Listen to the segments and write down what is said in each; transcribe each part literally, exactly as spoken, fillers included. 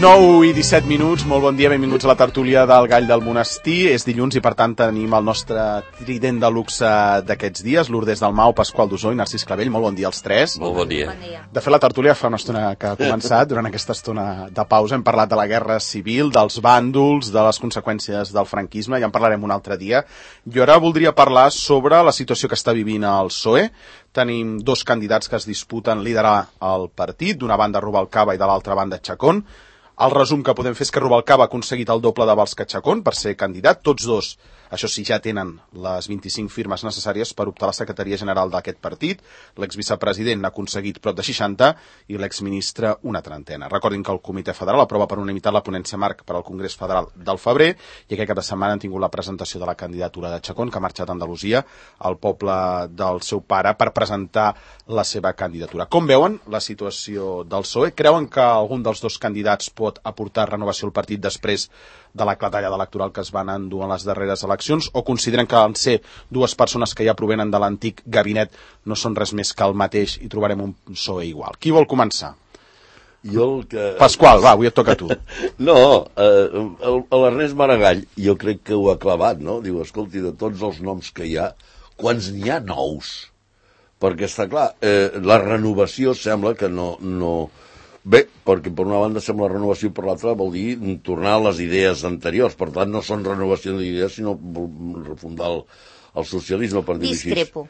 nou i disset minuts, molt bon dia, benvinguts a la tertúlia del Gall del Monestir. És dilluns i per tant tenim el nostre trident de luxe d'aquests dies, Lourdes Dalmau, Pasqual Dusó i Narcís Clavell. Molt bon dia als tres. Molt bon dia. Bon dia. De fet, la tertúlia fa una estona que ha començat. Durant aquesta estona de pausa hem parlat de la guerra civil, dels bàndols, de les conseqüències del franquisme, ja en parlarem un altre dia. Jo ara voldria parlar sobre la situació que està vivint el P S O E. Tenim dos candidats que es disputen liderar el partit, d'una banda Rubalcaba i de l'altra banda Chacón. El resum que podem fer és que Rubalcaba ha aconseguit el doble de vots que Chacón per ser candidat. Tots dos, això sí, ja tenen les vint-i-cinc firmes necessàries per optar a la secretaria general d'aquest partit. L'exvicepresident n'ha aconseguit prop de seixanta i l'exministre una trentena. Recordin que el Comitè Federal aprova per unanimitat la ponència marc per al Congrés Federal del febrer i aquest cap de setmana han tingut la presentació de la candidatura de Chacón, que ha marxat a Andalusia, al poble del seu pare, per presentar la seva candidatura. Com veuen la situació del P S O E? Creuen que algun dels dos candidats pot aportar renovació al partit després de la clatalla electoral que es van endur en les darreres eleccions, o consideren que en ser dues persones que ja provenen de l'antic gabinet no són res més que el mateix i trobarem un P S O E igual? Qui vol començar? Jo el que... Pasqual, va, avui et toca a tu. No, eh, l'Ernest Maragall jo crec que ho ha clavat, no? Diu, escolti, de tots els noms que hi ha, quants n'hi ha nous? Perquè està clar, eh, la renovació sembla que no... no... Bé, perquè per una banda sembla renovació, per l'altra vol dir tornar a les idees anteriors. Per tant, no són renovació d'idees, sinó refundar el, el socialisme, per dir-ho així. Discrepo.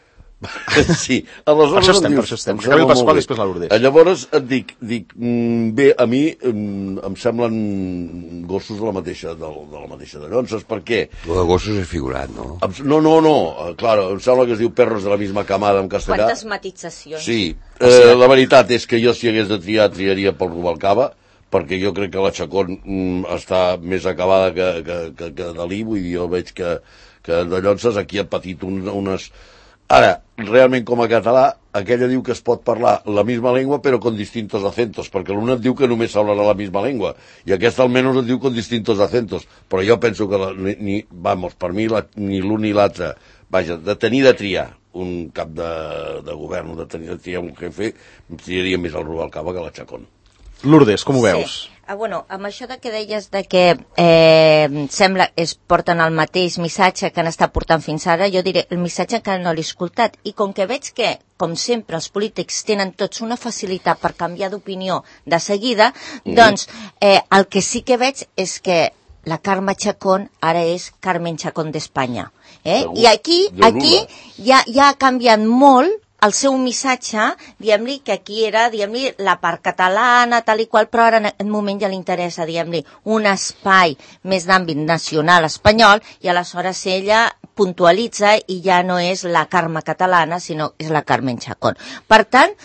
Sí, aleshores... Per això estem, per això estem. Acabem el Pasqual i després la Lourdes. Llavors et dic, dic bé, a mi em semblen gossos de la mateixa, de, de la mateixa de Llonses. Per què? Lo de gossos és figurat, no? No, no, no, clar, em sembla que es diu perros de la misma camada en castellà. Quantes matitzacions. Sí, eh, la veritat és que jo si hagués de triar, triaria pel Rubalcaba, perquè jo crec que la Chacón mm, està més acabada que, que, que, que Dalí, vull dir, jo veig que, que de Llonses aquí ha patit un, unes... Ara, realment com a català, aquella diu que es pot parlar la misma llengua però con distintos acentos, perquè l'una et diu que només s'hablarà la misma llengua, i aquesta almenys et diu con distintos acentos, però jo penso que, la, ni, ni, vamos, per mi la, ni l'un ni l'altre, vaja, de tenir de triar un cap de, de govern, de tenir de triar un jefe, em triaria més el Rubalcaba que la Chacón. Lourdes, com ho veus? Sí. Ah, bueno, amb això de que deies de que eh, sembla es porten el mateix missatge que han estat portant fins ara, jo diré el missatge que no l'he escoltat, i com que veig que, com sempre, els polítics tenen tots una facilitat per canviar d'opinió de seguida, mm. doncs eh, el que sí que veig és que la Carme Chacón ara és Carmen Chacón d'Espanya. Eh? I aquí, aquí ja, ja ha canviat molt el seu missatge, diguem-li, que aquí era, diguem-li, la part catalana, tal i qual, però ara en aquest moment ja li interessa, diguem-li, un espai més d'àmbit nacional espanyol, i aleshores ella puntualitza i ja no és la Carme catalana, sinó és la Carmen Chacón. Per tant,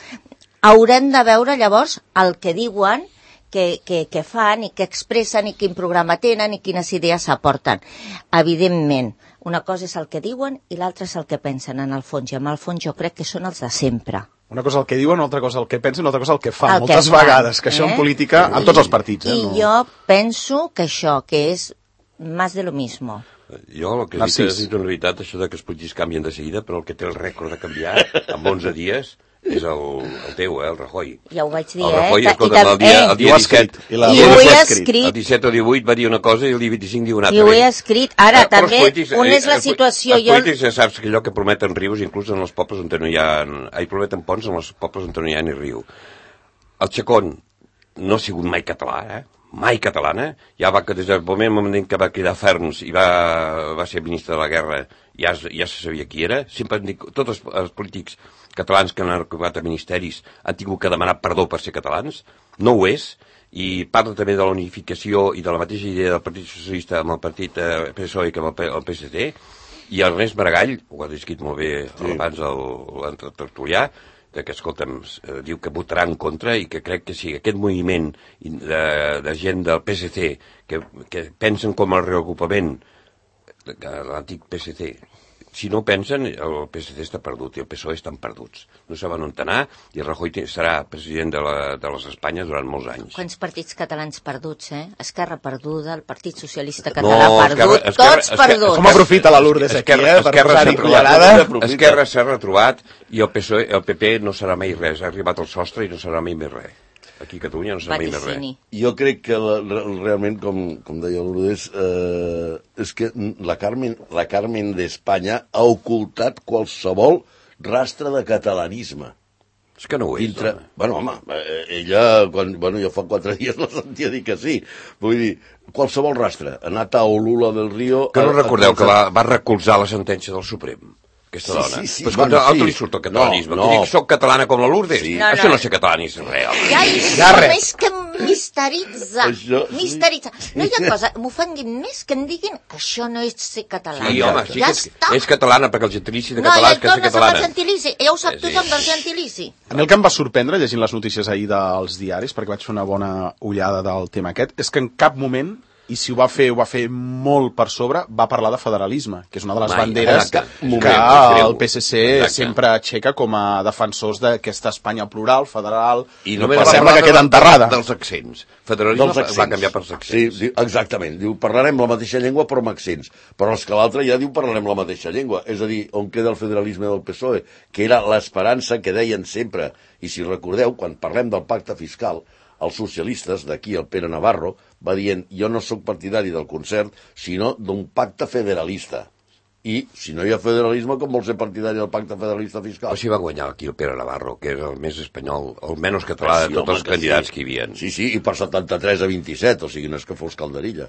haurem de veure llavors el que diuen, que, que, que fan i que expressen i quin programa tenen i quines idees aporten. Evidentment, una cosa és el que diuen i l'altra és el que pensen en el fons, i en el fons jo crec que són els de sempre. Una cosa el que diuen, una altra cosa el que pensen, una altra cosa el que fan, el moltes que fan, vegades, que això eh? en política, en tots els partits. Eh? I no... jo penso que això, que és más de lo mismo. Jo el que dic és, en realitat, això de que els polítics canvien de seguida, però el que té el rècord de canviar en onze dies és el, el teu, eh, el Rajoy. Ja ho vaig dir, el Rajoy, eh? escolta, el dia, el dia disset, I, la... I ho he escrit. El disset o divuit va dir una cosa i el dia vint-i-cinc diu una altra. I ho he escrit. Ara, eh, també, polítics, on és la eh, situació? Els jo... polítics ja saps que allò que prometen rius, inclús en els pobles on no hi ha... Ai, prometen ponts en els pobles on no hi ha ni riu. El Chacón no ha sigut mai català, eh? Mai catalana, ja va que des del moment que va cridar Ferns i va, va ser ministre de la guerra, ja, ja se sabia qui era. Sempre han dit, tots els, els polítics catalans que han arribat a ministeris han tingut que demanar perdó per ser catalans, no ho és, i parla també de la unificació i de la mateixa idea del Partit Socialista amb el partit eh, P S O E que amb el, el P S D, i el Ernest Maragall, ho ha descrit molt bé sí. abans l'entretertulià, que, escolta'm, eh, diu que votarà en contra i que crec que sí, aquest moviment de, de gent del P S C que, que pensen com el reocupament de l'antic P S C, si no pensen, el P S C està perdut i el P S O E estan perduts. No saben on anar i el Rajoy serà president de, la, de les Espanyes durant molts anys. Quants partits catalans perduts, eh? Esquerra perduda, el Partit Socialista Català no, Esquerra, perdut, esquerra, tots perduts. Com aprofita la Lourdes aquí, esquerra, eh? Per posar-hi cullerada. Esquerra s'ha retrobat i el P S O E, el P P no serà mai res. Ha arribat al sostre i no serà mai més res. Aquí a Catalunya no se mai més res. Vaticini. Jo crec que la, realment, com, com deia Lourdes, eh, és que la Carmen, la Carmen d'Espanya ha ocultat qualsevol rastre de catalanisme. És que no ho és, Dintre... home. Bueno, home, ella, quan, bueno, jo fa quatre dies la sentia dir que sí. Vull dir, qualsevol rastre. Ha anat a Olula del Río... Que no a, recordeu a... que va, va recolzar la sentència del Suprem? Aquesta Sí, dona. sí, sí, Però escolta, bueno, altre sí. li surt el catalanisme. No, No, no. no. Dic, soc catalana com la Lourdes. Sí. No, Això no. no ser catalanisme real. Ja hi Ja som, res. és que misteritza, Això, sí. misteritza. No hi ha cosa, m'ofenguin més que em diguin que això no és ser català. Sí, home, sí ja que és, està. és catalana, perquè el gentilici de No, català ja és que és tornes amb el catalana. gentilici. Ja ho sap Sí. tothom del gentilici. A mi el que em va sorprendre llegint les notícies ahir dels diaris, perquè vaig fer una bona ullada del tema aquest, és que en cap moment, i si ho va fer, ho va fer molt per sobre, va parlar de federalisme, que és una de les Mai, banderes exacte. que Moment, creu. el P S C Exacte. sempre aixeca com a defensors d'aquesta Espanya plural, federal, I no només però va sembla parlar que queda de- enterrada. dels accents. Federalisme Dels accents. va canviar pels accents. Sí, diu, exactament. Diu, parlarem la mateixa llengua però amb accents. Però és que l'altre ja diu parlarem la mateixa llengua. És a dir, on queda el federalisme del P S O E? Que era l'esperança que deien sempre. I si recordeu, quan parlem del pacte fiscal, els socialistes, d'aquí el Pere Navarro, va dient, jo no sóc partidari del concert, sinó d'un pacte federalista. I, si no hi ha federalisme, com vol ser partidari del pacte federalista fiscal? Però si va guanyar aquí el Pere Navarro, que és el més espanyol, el menys català Sí, de tots home, els que candidats sí. que hi havia. Sí, sí, i per setanta-tres a vint-i-set, o sigui, no és que fos calderilla.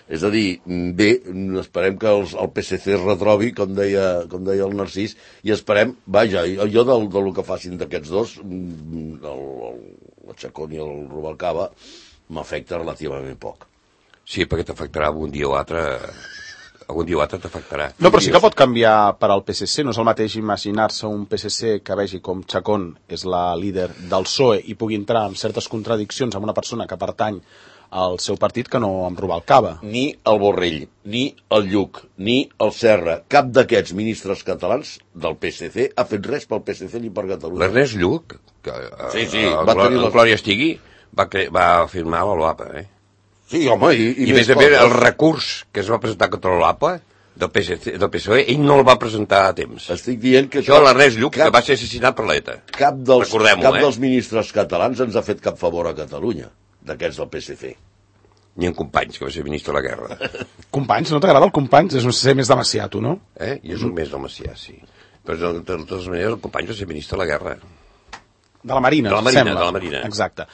És a dir, bé, esperem que els, el P S C es retrobi, com deia, com deia el Narcís, i esperem, vaja, jo del, del que facin d'aquests dos, el, el, el Chacón i el Rubalcaba, m'afecta relativament poc. Sí, perquè t'afectarà algun dia o altre... Algun dia o altre t'afectarà. No, però sí que pot canviar per al P S C. No és el mateix imaginar-se un P S C que vegi com Chacón és la líder del P S O E i pugui entrar en certes contradiccions amb una persona que pertany al seu partit que no amb Rubalcaba. Ni el Borrell, ni el Lluc, ni el Serra, cap d'aquests ministres catalans del P S C ha fet res pel P S C ni per Catalunya. L'Ernest Lluc, que eh, Sí, sí, el, va tenir el la- Glòria Estigui, va, cre... va firmar la LOAPA, eh? Sí, home, i, I, i, I més a més, el recurs que es va presentar contra l'OAPA del P S C, del P S O E, ell no el va presentar a temps. Estic dient que... Això l'Ernest Lluc, cap, que va ser assassinat per l'ETA. cap, dels, Recordem-ho, cap eh? dels ministres catalans ens ha fet cap favor a Catalunya, d'aquests del P S C. Ni en Companys, que va ser ministre de la guerra. Companys, no t'agrada el Companys? És un ser més de Macià, tu, no? Eh? I és un mes del Macià, sí. Però de totes maneres, el Companys va ser ministre de la guerra. De la Marina, De la Marina, sembla. de la Marina. Exacte.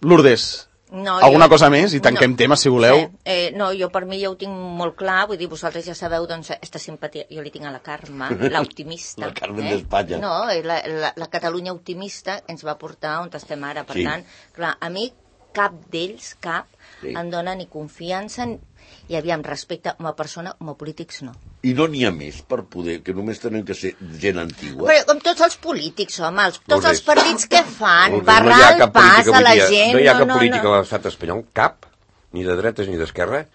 Lourdes, No, alguna jo- cosa més? I tanquem no, tema, si voleu. Sí. Eh, no, jo per mi ja ho tinc molt clar, vull dir, vosaltres ja sabeu, doncs, aquesta simpatia, jo li tinc a la Carme, l'optimista. La Carmen d'Espanya. No, eh, la, la, la Catalunya optimista ens va portar on estem ara, per Sí. tant, clar, a mi cap d'ells, cap, Sí. em dona ni confiança, i aviam, respecte com a persona, com a polítics, no. I no n'hi ha més per poder, que només tenen que ser gent antigua. Però com tots els polítics, home, els, tots Lourdes. els partits que fan, Lourdes, barrar no hi ha el cap pas política a la avui dia, gent... No hi ha cap no, política no. a l'estat espanyol, cap, ni de dretes ni d'esquerra,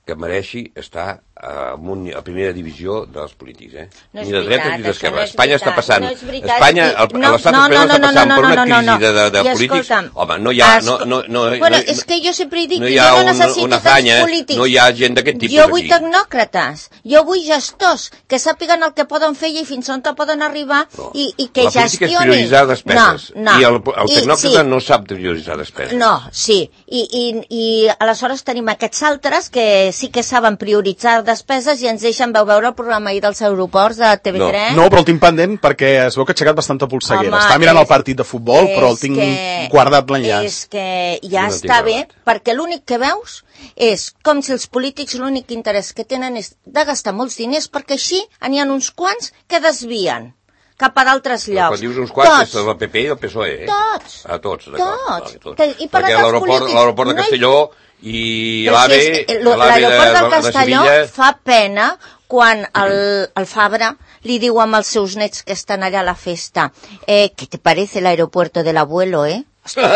que mereixi estar a, un, a primera divisió dels polítics, eh? No és ni de dretes veritat, ni això d'esquerra. no és Espanya veritat, està passant... no és veritat. Espanya, I- el- no, l'estat no, espanyol no, està no, passant no, per una no, no, crisi no. de, de, de I polítics. escolta'm, Home, no hi ha... No, esco- no, no, bueno, no, és que jo sempre he dit no que hi jo ha no una- necessito una tants afanya, polítics. no hi ha gent d'aquest tipus Jo vull aquí. tecnòcrates, jo vull gestors que sàpiguen el que poden fer i fins on poden arribar No. i, i que la política gestionin. és prioritzar despeses. No, no. I el, el I- tecnòcrata sí. no sap prioritzar despeses. No, sí, I, i, i aleshores tenim aquests altres que sí que saben prioritzar despeses i ens deixen, veu veure el programa ahir dels aeroports de T V tres? No, però el tinc pendent perquè es veu que ha aixecat bastanta polseguera. Home, Està mirant és- el partit de futbol, però el és tinc que- guardat l'enllaç. És que ja Jo no tinc està bé, guardat. perquè l'únic que veus és com si els polítics l'únic interès que tenen és de gastar molts diners, perquè així n'hi ha uns quants que desvien cap a d'altres Però llocs. quan dius uns quants, Tots. és del P P i del P S O E. Eh? Tots. A tots, d'acord. Tots. Vale, tots. Que- i per Perquè als l'aeroport polítics l'aeroport de no hi- Castelló i Però l'AVE... és que lo- l'AVE L'aeroport del de, de Castelló Sevilla... fa pena quan el, el Fabra li diu amb els seus nets que estan allà a la festa eh, ¿qué te parece el aeropuerto del abuelo, eh? Ostres!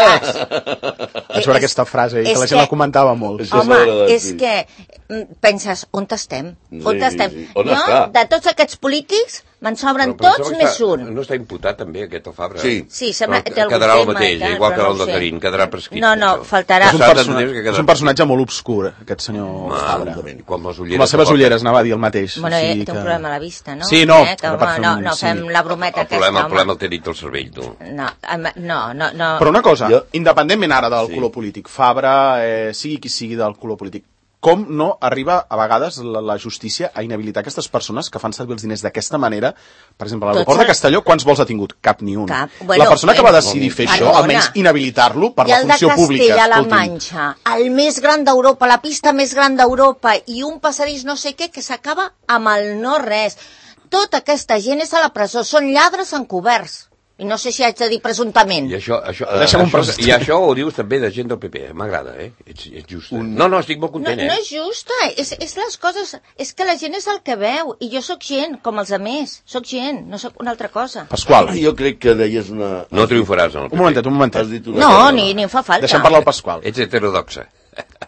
Vaig veure aquesta frase i que és la gent la comentava molt. Això Home, s'haurà de és dir. que penses, on estem? Sí, on estem? sí, sí. On jo, està? de tots aquests polítics, me'n sobren Però, però tots em més sembla que un. està, no està imputat també aquest el Fabra? Sí. Sí, sembla que té algun quedarà el tema, mateix, tal, igual que però el no ho de sé. Garín, quedarà prescrit. No, no, això. faltarà... És un, S'ha persona, d'entendre que quedarà és un personatge molt obscur, aquest senyor Fabra. Exactament. Com les Com ulleres. les seves que porta. ulleres, anava a dir el mateix. Bueno, o eh, sigui té un que- problema a la vista, no? Sí, no, Eh, que, era per home, fer no, un- no sí. fem la brometa El aquesta, problema, el home. problema el té dit el cervell, tu. No, home, no, no, no. Però una cosa, Jo- independentment ara del Sí. color polític, Fabra, eh, sigui qui sigui del color polític, com no arriba a vegades la, la justícia a inhabilitar aquestes persones que fan servir els diners d'aquesta manera? Per exemple, a l'aeroport Tots de Castelló, quants vols ha tingut? Cap ni un. Cap. Bueno, la persona que eh, va decidir fer això, perdona. almenys inhabilitar-lo per I la el de funció pública. Castella-La escolti'm. Manxa, el més gran d'Europa, la pista més gran d'Europa, i un passadís no sé què que s'acaba amb el no res. Tota aquesta gent és a la presó, són lladres encoberts. I no sé si haig de dir presumptament. I això, això, Deixa'm un això, present. I això ho dius també de gent del P P, m'agrada, eh? Ets, ets just. Un... No, no, estic molt No, content, no eh? és justa, és, és les coses... És que la gent és el que veu, i jo sóc gent, com els altres. Sóc gent, no sóc una altra cosa. Pasqual, Jo crec que deies una... No triomfaràs en el P P. un momentet, un momentet. Has dit una No, cosa, ni, ni em fa falta. Deixem parlar el Pasqual. Ets heterodoxa.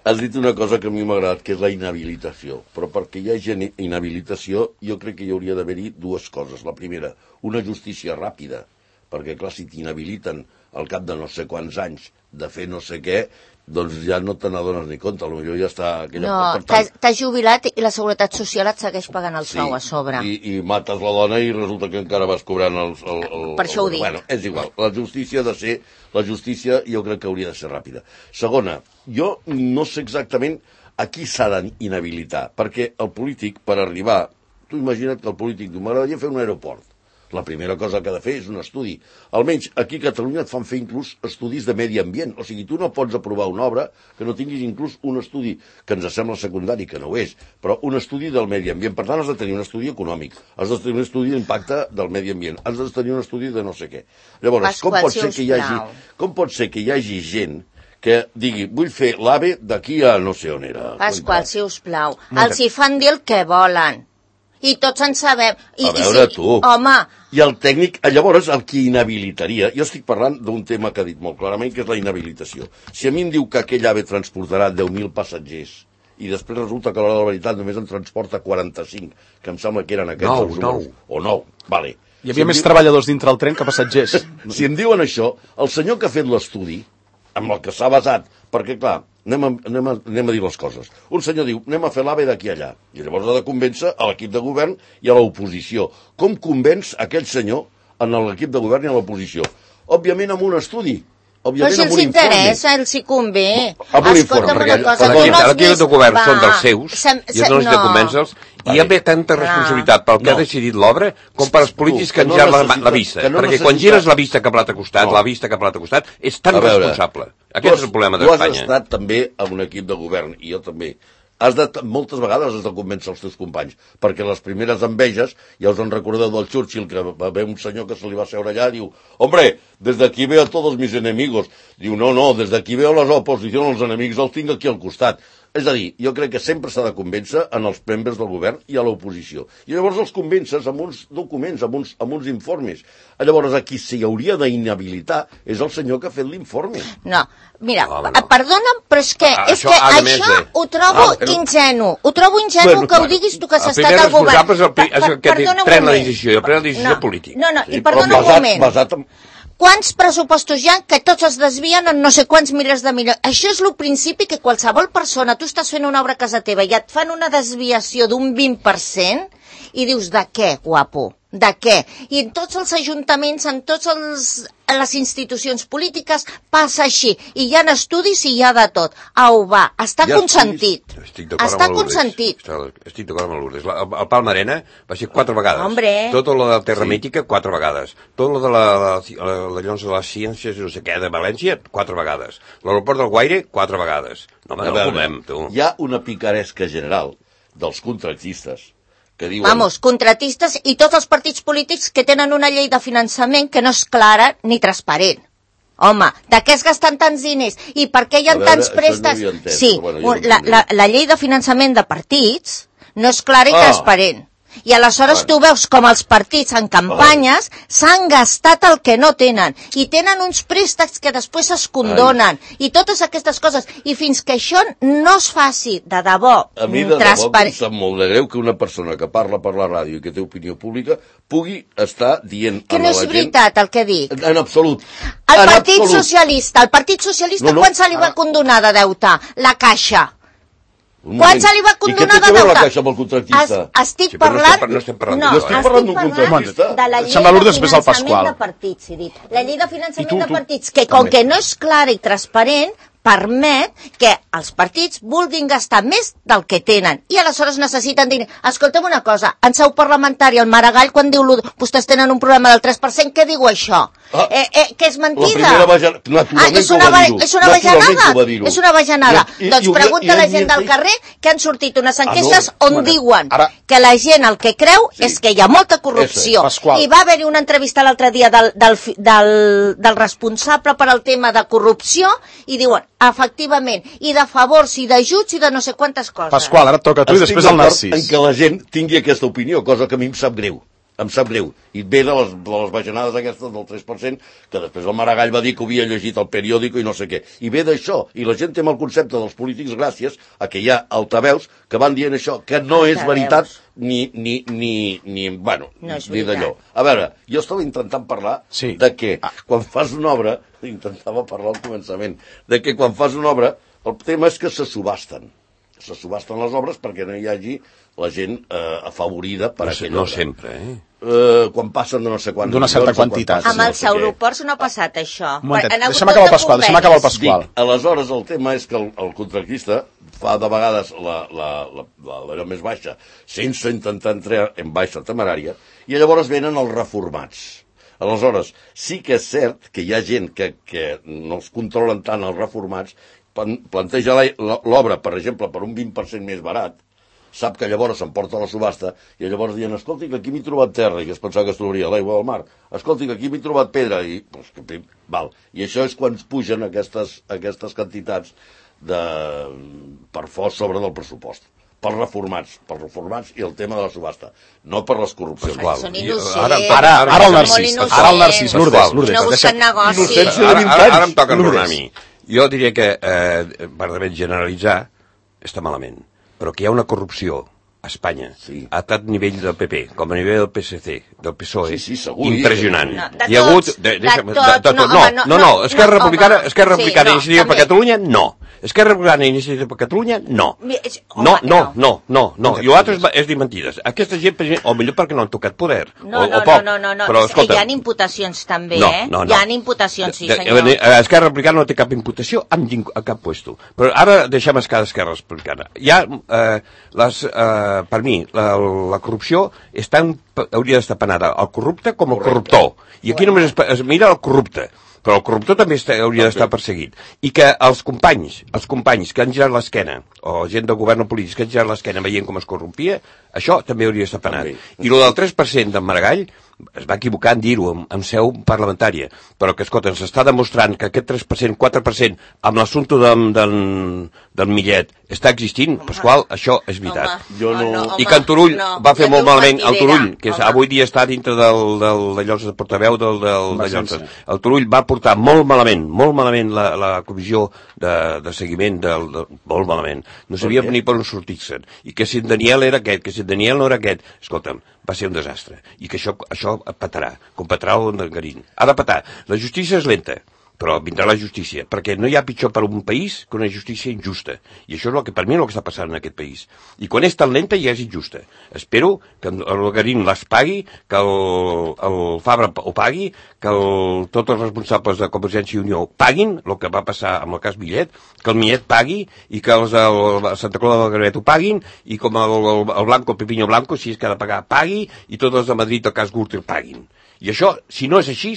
Has dit una cosa que a mi m'ha agradat, que és la inhabilitació. Però perquè hi hagi inhabilitació, jo crec que hi hauria d'haver-hi dues coses. La primera, una justícia ràpida, perquè, clar, si t'inhabiliten al cap de no sé quants anys de fer no sé què, doncs ja no te n'adones ni compte, potser ja està... Aquella... No, per tant, t'has t'has jubilat i la Seguretat Social et segueix pagant el sou a sobre. I, i mates la dona i resulta que encara vas cobrant el... el, el Per això ho el, dic. Bueno, és igual. La justícia ha de ser... La justícia jo crec que hauria de ser ràpida. Segona, jo no sé exactament a qui s'ha d'inhabilitar, perquè el polític, per arribar... Tu imagina't que el polític diu, m'agradaria fer un aeroport. La primera cosa que ha de fer és un estudi. Almenys aquí a Catalunya et fan fer inclús estudis de medi ambient. O sigui, tu no pots aprovar una obra que no tinguis inclús un estudi que ens sembla secundari, que no ho és, però un estudi del medi ambient. Per tant, has de tenir un estudi econòmic, has de tenir un estudi d'impacte del medi ambient, has de tenir un estudi de no sé què. Llavors, Pasqual, com pot si ser us que hi hagi, plau. com pot ser que hi hagi gent que digui, vull fer l'AVE d'aquí a no sé on era. Pasqual, si us plau, els hi fan dir el que volen. I tots en sabem. I, A veure, i si, tu. Home, I el tècnic, llavors, el que inhabilitaria... Jo estic parlant d'un tema que ha dit molt clarament, que és la inhabilitació. Si a mi em diu que aquell AVE transportarà deu mil passatgers i després resulta que a l'hora de la veritat només en transporta quaranta-cinc, que em sembla que eren aquests Nou, els números. nou. O nou, vale. Hi havia més treballadors dintre el tren que passatgers. Si em diuen això, el senyor que ha fet l'estudi, amb el que s'ha basat, perquè, clar, anem a, anem, a, anem a dir les coses. Un senyor diu, anem a fer l'AVE d'aquí a allà. I llavors ha de convèncer a l'equip de govern i a l'oposició. Com convenç aquell senyor en l'equip de govern i a l'oposició? Òbviament amb un estudi. però Òbviament si amb els un informe. interessa, els hi convé. Amb un informe, Escolta'm perquè una cosa, perquè tu aquí- no has Aquí els vist... de govern Va, són dels seus, sem- i no necessita no. convèncer-los, i hi ha tanta Clar. responsabilitat pel que No. ha decidit l'obra com per als polítics Tu, que que han no girat la, necessita- la vista. que no Perquè quan necessita- gires la vista cap a l'altre costat, No. la vista cap a l'altre costat, és tan A veure, responsable. tu Aquest has- és el problema Tu has d'Espanya. estat també en un equip de govern, i jo també. Has de, moltes vegades has de convèncer els teus companys, perquè les primeres enveges, ja us en recordeu del Churchill, que va haver un senyor que se li va seure allà, diu, hombre, desde aquí veo a todos mis enemigos. Diu, no, no, desde aquí veo les oposicions, els enemics els tinc aquí al costat. És a dir, jo crec que sempre s'ha de convèncer en els membres del govern i a l'oposició. I llavors els convences amb uns documents, amb uns, amb uns informes. Llavors, a qui s'hi hauria d'inhabilitar és el senyor que ha fet l'informe. No, mira, Home, no. no. perdona'm, però és que, Ah, és això que ha de això més de- ho trobo Ah, però- ingenu. Ho trobo ingenu Bueno, que ho bueno, diguis tu que has el estat primer al govern. responsable és el pri- Per- és el que perdona un pren la moment. decisió, i el pren la decisió no, polític. No, no, Sí, i però perdona un basat- moment. basat en- Quants pressupostos hi ha que tots es desvien en no sé quants milers de milions? Això és el principi que qualsevol persona, tu estàs fent una obra a casa teva i et fan una desviació d'un vint per cent i dius, de què, guapo? De què? I en tots els ajuntaments, en totes les institucions polítiques, passa així. I hi ha estudis i hi ha de tot. Au, va, està Hi ha consentit. Estic d'acord Està amb el Lourdes. consentit. Estic d'acord amb el Lourdes. La- El, el Palma Arena va ser quatre vegades. Hombre. Tot lo de la Terra Mítica, quatre vegades. Tot lo de la, la, la, la, llavors de les ciències, no sé què, de València, quatre vegades. L'aeroport del Guaire, quatre vegades. No, home, A no veure, comem, tu. hi ha una picaresca general dels contractistes que diuen... Vamos, contratistes i tots els partits polítics que tenen una llei de finançament que no és clara ni transparent. Home, de què es gasten tants diners? I per què hi ha A veure, tants això no préstecs? havia entès, Sí, però bueno, ja ho la, entenc. la, la llei de finançament de partits no és clara i Ah. transparent. I aleshores tu veus com els partits en campanyes s'han gastat el que no tenen i tenen uns préstecs que després es condonen i totes aquestes coses. I fins que això no es faci de debò a mi de transparent... debò em sap molt de greu que una persona que parla per la ràdio i que té opinió pública pugui estar dient que a no la és gent... veritat el que dic. En absolut. El en Partit absolut. Socialista, el Partit Socialista no, no, quan se li va condonar de deute? La Caixa. Un Quan moment. se li va condonar de I què té a veure deute? la Caixa amb el contractista? Es, estic Sí, però no parlant... estem- no estem parlant no, d'això, estic eh? parlant d'un parlant contractista. de la llei Sembla de Lourdes després del finançament Pasqual. de partits, he dit. La llei de finançament I tu, de tu, partits, que com també. que no és clara i transparent, permet que els partits vulguin gastar més del que tenen i aleshores necessiten dir, escolta'm una cosa, en seu parlamentària el Maragall quan diu vostès tenen un problema del tres per cent, què diu això? Ah, eh, eh, que és mentida? La primera vaja... naturalment ah, és que ho una, va dir-ho. és una Naturalment bajanada? que ho va dir-ho. És una bajanada. I- i- doncs i- pregunta i- a la i- gent del i- carrer que han sortit unes Ah, no. enquestes on Bueno, diuen ara- que la gent el que creu Sí. és que hi ha molta corrupció. Pasqual. I va haver-hi una entrevista l'altre dia del, del, fi- del, del responsable per al tema de corrupció i diuen, efectivament, i de favors, i d'ajuts, i de no sé quantes coses. Pasqual, ara et toca a tu i Estic després el d'acord Narcís. en què la gent tingui aquesta opinió, cosa que a mi em sap greu. Em sap greu. I ve de les, de les bajanades aquestes del tres per cent, que després el Maragall va dir que havia llegit el periòdico i no sé què. I ve d'això. I la gent té el concepte dels polítics gràcies a que hi ha altaveus que van dient això, que no és Altaveus. veritat ni, ni, ni, ni, bueno, No és ni veritat. d'allò. A veure, jo estava intentant parlar Sí. de que quan fas una obra, intentava parlar al començament, de que quan fas una obra, el tema és que se subasten. Se subasten les obres perquè no hi hagi la gent eh, afavorida per No, sé, aquella no obra. sempre, eh? Eh, quan passen d'una sé quants D'una certa milions o quan quantitat. passen Amb no els sé què. aeroports no ha passat això. Un momentet, Han hagut deixa'm acabar el tot de Pasqual, deixa'm acabar el convenis. Pasqual. Dic, aleshores el tema és que el, el contractista fa de vegades la, la, la, la, la més baixa sense intentar entrar en baixa temerària i llavors venen els reformats. Aleshores, sí que és cert que hi ha gent que, que no els controlen tant els reformats, plan- planteja la- l'obra, per exemple, per un vint per cent més barat, sap que llavors s'emporta la subhasta i llavors diuen, escolti, que aquí m'he trobat terra i que es pensava que es trobaria l'aigua del mar, escolti, que aquí m'he trobat pedra i, pues, que, pim, val. I això és quan es pugen aquestes, aquestes quantitats de, per fos sobre del pressupost pels reformats, pels reformats i el tema de la subhasta, no per les corrupcions. Ai, són innocents. Ara- Ara, ara el Són Narcís, molt innocents. ara el Narcís, Lourdes, Pasqual. Lourdes. No busquen deixa- negoci. Innocència de Ara, vint ara, ara anys. em toca enronar a Lourdes. mi. Jo diria que, eh, perdament, generalitzar està malament, però que hi ha una corrupció a Espanya, Sí. a tant nivell del P P com a nivell del P S C, del P S O E, Sí, sí, segur. impressionant. No, de Hi ha hagut... tots, De, de deixa'm, de, tots, de, no, tot. no, home, no, no, no, no, Esquerra no, Republicana, home. Esquerra Sí, Republicana no, Iniciativa per també. Catalunya, no. Esquerra Republicana Iniciativa per Catalunya, no. Mi- és- No, home, no, no, no, no. Exacte. I l'altre és, és dir mentides. Aquesta gent, per exemple, o millor perquè no han tocat poder, No, o, no, o poc. no, no, no, Però, és que hi escolta, ha imputacions també, no, eh? no, no. Hi ha imputacions, sí, De- senyor. de- eh, Esquerra Republicana no té cap imputació amb ningú, a cap puesto. Però ara deixem escar Esquerra Republicana. Hi ha, eh, les, eh, per mi, la, la corrupció és tan, hauria d'estar penada el corrupte com el Correcte. corruptor. I aquí només es, es mira el corrupte, però el corruptor també està, hauria d'estar perseguit. I que els companys, els companys que han girat l'esquena, o gent del govern polític que han girat l'esquena veient com es corrompia, això també hauria d'estar penat. També. I el del tres per cent d'en Maragall, es va equivocar en dir-ho en, en seu parlamentària, però que, escolta, ens està demostrant que aquest tres per cent, quatre per cent, amb l'assumpte del, del, del Millet, està existint, Pasqual, això és veritat. Home, Jo no- home, I que en Turull no, va fer ja molt diu malament, el mentidera, Turull, que és, home. avui dia està dintre del, del, de llocs de portaveu del, del, de llocs. Emergència. El Turull va portar molt malament, molt malament la, la comissió de, de seguiment, del, de, molt malament. No sabia què? ni per on sortir-se'n. I que si en Daniel era aquest, que si en Daniel no era aquest, escolta'm, va ser un desastre. I que això, això petarà, com petarà el Garín. Ha de petar. La justícia és lenta, però vindrà la justícia, perquè no hi ha pitjor per un país que una justícia injusta. I això és el que per mi és el que està passant en aquest país. I quan és tan lenta ja és injusta. Espero que el Garín les pagui, que el, el Fabra ho pagui, que el, tots els responsables de Convergència i Unió paguin el que va passar amb el cas Millet, que el Millet pagui i que els de Santa Clara del Gravet ho paguin i com el, el, el Blanco, el Pepiño Blanco, si és que ha de pagar, pagui i tots els de Madrid el cas Gürtel paguin. I això, si no és així,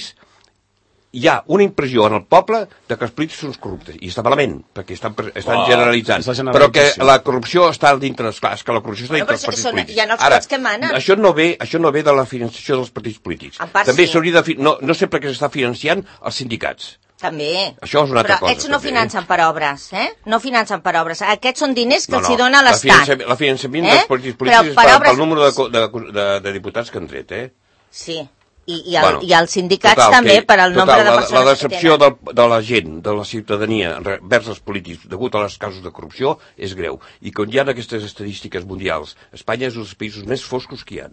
hi ha una impressió en el poble de que els polítics són corruptes, i està malament, perquè estan, estan Oh, generalitzant, és la generalització. però que la corrupció està dintre, esclar, és que la corrupció està Bueno, dintre però dels sí que partits són- polítics. hi ha els Ara, cops que manen. això no ve, això no ve de la financiació dels partits polítics. En part També sí. s'hauria de, fi- no, no sé per què s'està financiant els sindicats. També. Això és una altra però cosa. Però no també. financen per obres, eh? No financen per obres. Aquests són diners que no, els no. hi dona l'Estat. El finançament eh? dels partits polítics és per, obres... pel número de, de, de, de diputats que han tret, eh? Sí. I, i, el, bueno, i els sindicats total, també, que, per al nombre total, de persones la, la decepció que tenen. de, de la gent, de la ciutadania vers els polítics degut a les casos de corrupció és greu. I quan hi ha aquestes estadístiques mundials, Espanya és un dels països més foscos que hi ha.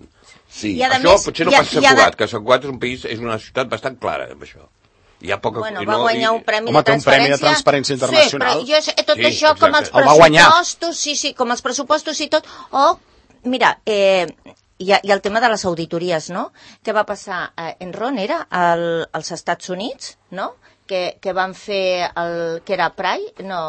Sí. I a això més, potser no ha, passa a Sant Cugat, que Sant Cugat és un país, és una ciutat bastant clara amb això. Hi ha poca... Bueno, i va no, guanyar i... un premi Home, de transparència. un premi de transparència internacional. Sí, però jo, tot Sí, això com els El va guanyar. pressupostos, sí, sí, com els pressupostos i tot, o, mira, eh, hi ha, hi ha el tema de les auditories, no? Què va passar? Eh, Enron era al, als Estats Units, no? Que, que van fer el... que era Pry? No,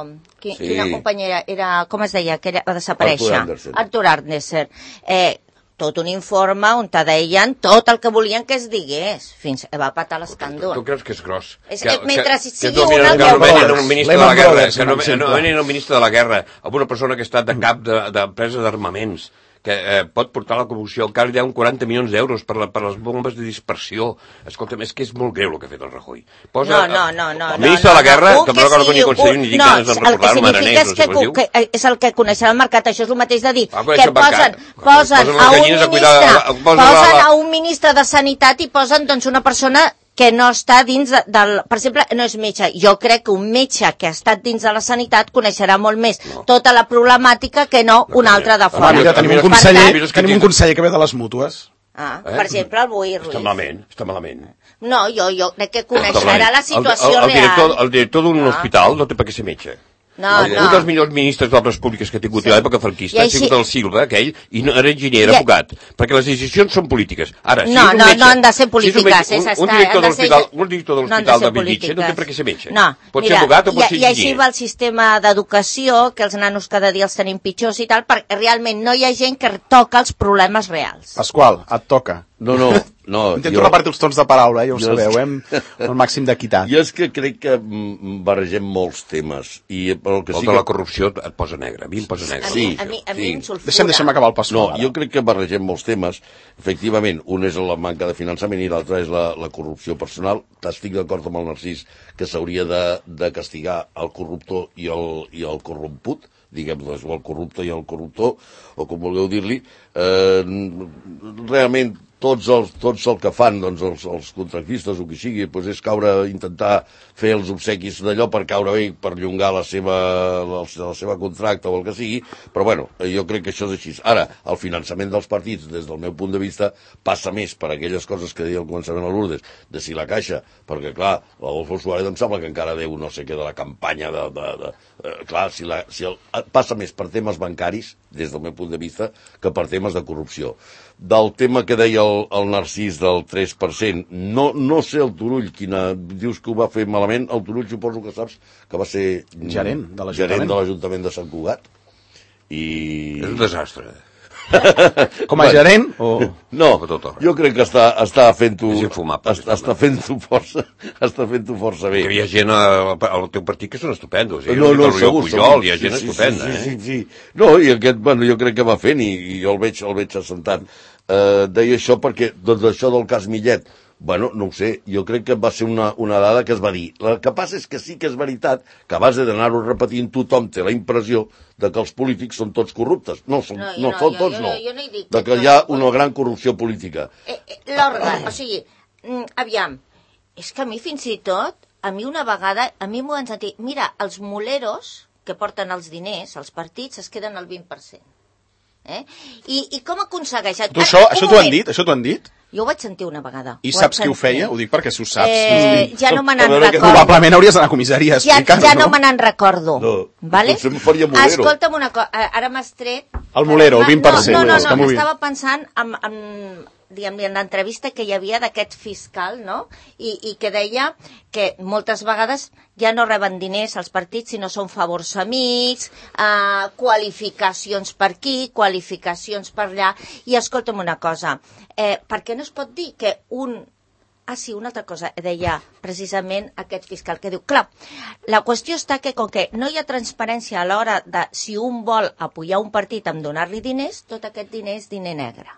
qui, Sí. quina companyia era? era? Com es deia? Que era, va desaparèixer. Arthur Andersen. Arthur Andersen. Eh, tot un informe on te deien tot el que volien que es digués, fins que va patar l'escàndol. Tu creus que és gros? És, que, mentre que, sigui que no, una... que no venen un ministre de la Lehman guerra, Brothers, que no, un exemple. no venen un ministre de la guerra, amb una persona que ha estat de cap d'empresa de, d'armaments, que eh, pot portar la corrupció, encara hi ha un quaranta milions d'euros per, la, per les bombes de dispersió. Escolta'm, és que és molt greu el que ha fet el Rajoy. Posa, No, no, no, no. el ministre no, de la guerra, no, que no recordo ni conseller ni dic ganes de el que recordar-ho, significa és Maranés, que, no sé com es que, que és el que coneixerà el mercat, això és el mateix de dir Ah, que conèixer el posen, mercat. posen Posen a les un gallines a ministre, cuidar la- posen posen la- la- a un ministre de Sanitat i posen doncs una persona que no està dins de, del... Per exemple, no és metge. Jo crec que un metge que ha estat dins de la sanitat coneixerà molt més no. tota la problemàtica que no, no un altre de fora. Home, mira, tenim un Per conseller, tant- tenim un conseller que ve de les mútues. Ah, Eh? per exemple, el Boi Ruiz. Està malament, està malament. No, jo, jo crec que Està coneixerà malament. la situació el, el, el director, real. el director d'un Ah. hospital no té per què ser metge. No, el, no. Un dels millors ministres d'obres públiques que ha tingut Sí. a l'època franquista I ha així- sigut el Silva, aquell, i no era enginyer, era I- abogat. Perquè les decisions són polítiques. Ara, si No, és un no, metge, no han de ser si és un polítiques, metge, és un, un estar- director han de de ser- l'hospital un director de no han de l'hospital ser de Bellvitge no té polítiques. per què ser metge. No, pot mira, ser abogat o pot i, ser i així enginyer. va el sistema d'educació, que els nanos cada dia els tenim pitjors i tal, perquè realment no hi ha gent que toca els problemes reals. Pasqual, et toca. No, no, no. Intento repartir els tons de paraula, eh, ja ho jo- sabeu, eh, amb el màxim d'equitat. Jo és que crec que mm, barregem molts temes. I el que El sí de que... la corrupció et posa negre. A mi em posa negre. A Sí, mi, a mi, a mi sí. em sulfura. Deixem, deixem acabar el No, Pasqual. jo crec que barregem molts temes. Efectivament, un és la manca de finançament i l'altre és la, la corrupció personal. Estic d'acord amb el Narcís que s'hauria de, de castigar el corruptor i el, i el corromput, diguem-ne, o el corrupte i el corruptor, o com vulgueu dir-li. Eh, realment, tots, els, tots el que fan, doncs, els, els contractistes o qui sigui, doncs és caure, intentar fer els obsequis d'allò per caure bé, per llongar la seva, la, la seva contracte o el que sigui, però bueno, jo crec que això és així. Ara, el finançament dels partits, des del meu punt de vista, passa més per aquelles coses que deia al començament a Lourdes, de si la Caixa, perquè clar, l'Adolfo Suárez em sembla que encara deu no sé què de la campanya de... de, de eh, clar, si, la, si el, passa més per temes bancaris, des del meu punt de vista, que per temes de corrupció. Del tema que deia el, el Narcís del tres per cent, no, no sé el Turull, quina, dius que ho va fer malament, el Turull suposo que saps que va ser Gerent de l'Ajuntament. gerent de l'Ajuntament de Sant Cugat. I... És un desastre. Com a gerent? O... No, A tot arreu. jo crec que està, està fent-ho... És infumable, és Està, està fent-ho força, està fent-ho força bé. Hi ha gent al, al teu partit que són estupendos. Eh? No, no, el segur, Pujol, segur. hi ha gent Sí, sí, estupenda. sí, sí, eh? sí, sí. No, i aquest, bueno, jo crec que va fent i, i jo el veig, el veig assentat. Uh, deia això perquè, doncs això del cas Millet, bueno, no ho sé, jo crec que va ser una, una dada que es va dir. El que passa és que sí que és veritat que a base d'anar-ho repetint tothom té la impressió de que els polítics són tots corruptes. No, són, No, no, jo no, són jo- tots, jo no. no- jo no he dit De que que tots hi ha són una gran corrupció política. Eh, eh, L'òrgan, o sigui, mm, aviam, és que a mi fins i tot, a mi una vegada, a mi m'ho han sentit, mira, els moleros que porten els diners, els partits, es queden al vint per cent. Eh? I, I com aconsegueixen... Tu això, Ah, un això t'ho han moment. dit? Això t'ho han dit? Jo ho vaig sentir una vegada. I Ho saps vaig qui ho feia? sentir. Ho dic perquè si ho saps. Eh, ja no me A n'en veure que recordo. Probablement hauries d'anar a comissaria a Ja, explicar-ho, ja no me n'en recordo. No, vale? potser em faria molero. Escolta'm una cosa, ara m'has tret... El molero, el vint per cent, No, no, està no, no molt bé. estava pensant en, en, diguem-ne, en l'entrevista que hi havia d'aquest fiscal, no? I, I que deia que moltes vegades ja no reben diners als partits, sinó són favors amics, eh, qualificacions per aquí, qualificacions per allà. I escolta'm una cosa, eh, per què no es pot dir que un... Ah, sí, una altra cosa, deia precisament aquest fiscal que diu, clar, la qüestió està que com que no hi ha transparència a l'hora de si un vol apoyar un partit amb donar-li diners, tot aquest diner és diner negre.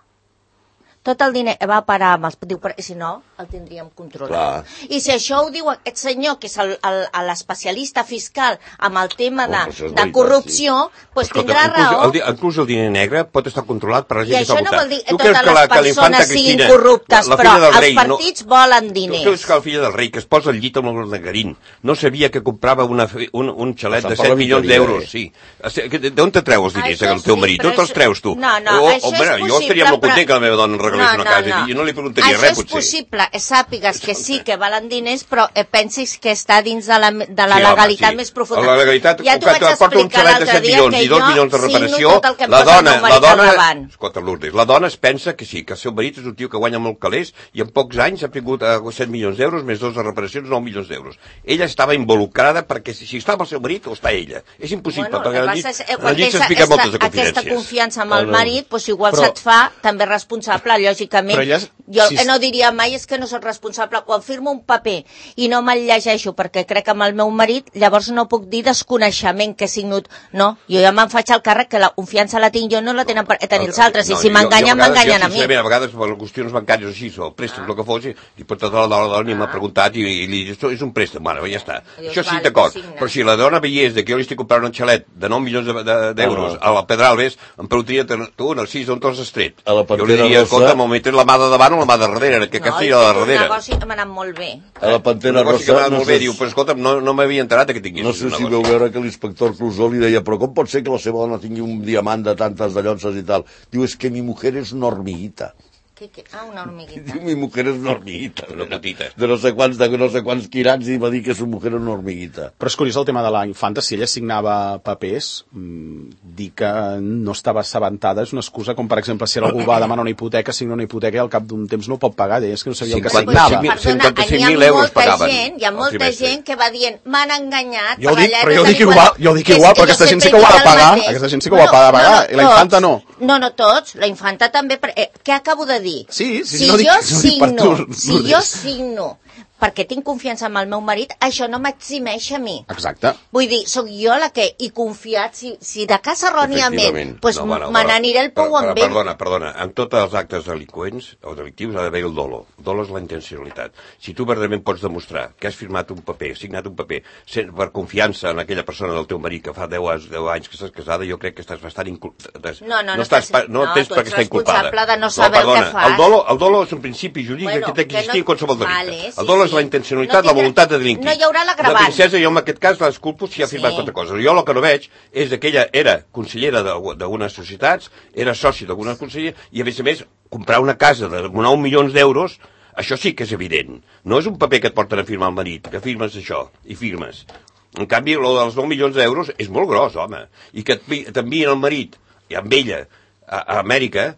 tot el diner va a parar amb els... Diu, però, si no, el tindríem controlat. Clar. I si això ho diu aquest senyor, que és l'especialista fiscal amb el tema de, oh, de corrupció, sí. pues Escolta, tindrà inclús raó. El, inclús el diner negre pot estar controlat per la gent I que està això no vol dir que totes les persones siguin Cristina, corruptes, la, la però els rei, partits no, volen diners. Tu creus que la filla del rei, que es posa al llit amb el Garín, no sabia que comprava una, un, un xalet de set milions d'euros, sí. D'on te treus els diners, el teu marit? D'on te'ls treus tu? No, no, o, això o, és bueno, possible, jo estaria molt content però... que la meva dona em regalés no, una no, casa no. i jo no li preguntaria això res, potser. potser. Això és possible, sàpigues que sí que valen diners, però eh, pensis que està dins de la, de la sí, legalitat home, sí. més profunda. La legalitat, ja t'ho vaig porta un xalet de set milions i dos milions de reparació, la dona, la dona, escolta, Lourdes, la dona es pensa que sí, que el seu marit és un tio que guanya molt calés i en pocs anys ha tingut uh, set milions d'euros més dos de reparacions, nou milions d'euros. Ella estava involucrada perquè si, si estava el seu marit o està ella. És impossible, bueno, perquè al llit, és, eh, al llit s'expliquen moltes de confidències. Aquesta confiança amb el marit, doncs igual però, se't fa també responsable, lògicament. Ella, jo si... no diria mai és que no soc responsable. Quan firmo un paper i no me'l llegeixo perquè crec amb el meu marit, llavors no puc dir desconeixement que he signat. No, jo ja me'n faig el càrrec que la confiança la tinc jo, no la tenen per tenir els altres. No, I si m'enganyen, m'enganyen a mi. A vegades, per qüestions bancàries així, o préstecs, el que fos, i per tota la dona, la dona m'ha preguntat i, i li dic, és un préstec, bueno, ja està. Això sí, d'acord. Però si la dona veiés que jo li estic comprant un xalet de nou milions d'euros a la Pedralbes, em preguntaria, tu, Narcís, on t'has estret? Jo li diria, escolta, m'ho metes la mà de davant o la mà de darrere, que aquesta era de darrere. El negoci m'ha anat molt bé. A la Pantera Rosa... m'ha anat molt bé, diu, però escolta, no, no m'havia enterat que tingués no sé si veu veure que l'inspector Clusó li deia, però com pot ser que la seva dona tingui un diamant de tantes de llonces i tal? Diu, és que mi mujer és una hormiguita. ¿Qué, qué? Ah, una hormiguita. Diu, mi mujer és una hormiguita. Una putita. De no sé quants, de no sé quants quirats i va dir que su mujer és una hormiguita. Però és curiós el tema de la infanta, si ella signava papers, mmm, dir que no estava assabentada és una excusa, com per exemple si algú va demanar una hipoteca, signa una hipoteca i al cap d'un temps no ho pot pagar, deia, és que no sabia el que signava. cinquanta-cinc mil euros pagaven. Gent, hi ha molta gent que va dient, m'han enganyat. Jo ho dic, però jo ho dic igual, jo ho dic igual, però aquesta gent sí que ho ha de pagar, aquesta gent sí que ho ha de pagar, i la infanta no. No, no tots, la infanta també, què acabo de dir? Sí, sí, si no dic, jo no dic per signo, tu. si jo signo perquè tinc confiança en el meu marit, això no m'eximeix a mi. Exacte. Vull dir, sóc jo la que he confiat, si, si de cas erròniament, doncs no, bueno, me n'aniré el pou amb ell. Perdona, perdona, en tots els actes delinqüents o delictius ha d'haver el dolo. El dolo és la intencionalitat. Si tu verdaderament pots demostrar que has firmat un paper, signat un paper, per confiança en aquella persona del teu marit que fa deu anys que estàs casada, jo crec que estàs bastant inculpada. No, no, no, no, estàs, no, no tens per què estar inculpada. responsable de no saber no, perdona, el que fas. El dolo, el dolo és un principi jurídic bueno, que té que existir en qualsevol delicte. Vale, sí, el dolo és la intencionalitat, no la voluntat de delinquir. No hi haurà l'agravant. La princesa, jo en aquest cas l'esculpo si ha firmat sí. Quatre coses. Jo el que no veig és que ella era consellera d'algunes societats, era soci d'algunes conselleries, i a més a més, comprar una casa de nou milions d'euros, això sí que és evident. No és un paper que et porten a firmar el marit, que firmes això, i firmes. En canvi, el dels nou milions d'euros és molt gros, home. I que t'envien el marit, i amb ella, a, a Amèrica,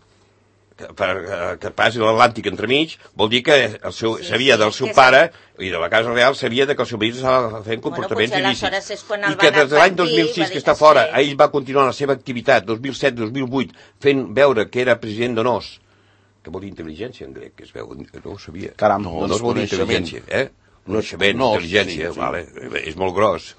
que, per, que passi l'Atlàntic entremig, vol dir que el seu, sí, sabia sí, del seu pare i de la Casa Real sabia que el seu marit estava fent comportaments bueno, il·lícits. I que des de l'any dos mil sis que està fora, ell va continuar la seva activitat, dos mil set dos mil vuit, fent veure que era president d'honors, que vol dir intel·ligència en grec, que es veu, no ho sabia. Caram, no, no es vol dir intel·ligència, eh? Coneixement, no, intel·ligència, sí, sí. Vale, és molt gros.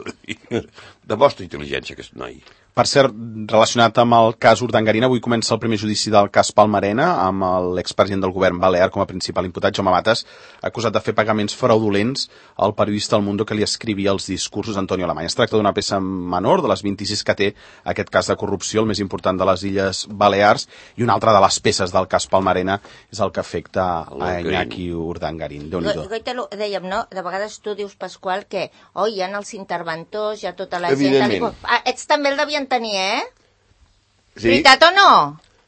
Demostra intel·ligència, aquest noi. Per cert, relacionat amb el cas Urdangarín, avui comença el primer judici del cas Palmarena, amb l'expresident del govern balear com a principal imputat, Jaume Matas, acusat de fer pagaments fraudulents al periodista El Mundo que li escrivia els discursos Antonio Alemany. Es tracta d'una peça menor, de les vint-i-sis que té aquest cas de corrupció, el més important de les Illes Balears, i una altra de les peces del cas Palmarena és el que afecta a Iñaki Urdangarín. Déu-n'hi-do. Goita, dèiem, no? De vegades tu dius, Pasqual, que oh, hi ha els interventors, hi ha tota la gent... Evidentment. Ah, ets també el devien tenir, eh? Sí. Veritat o no?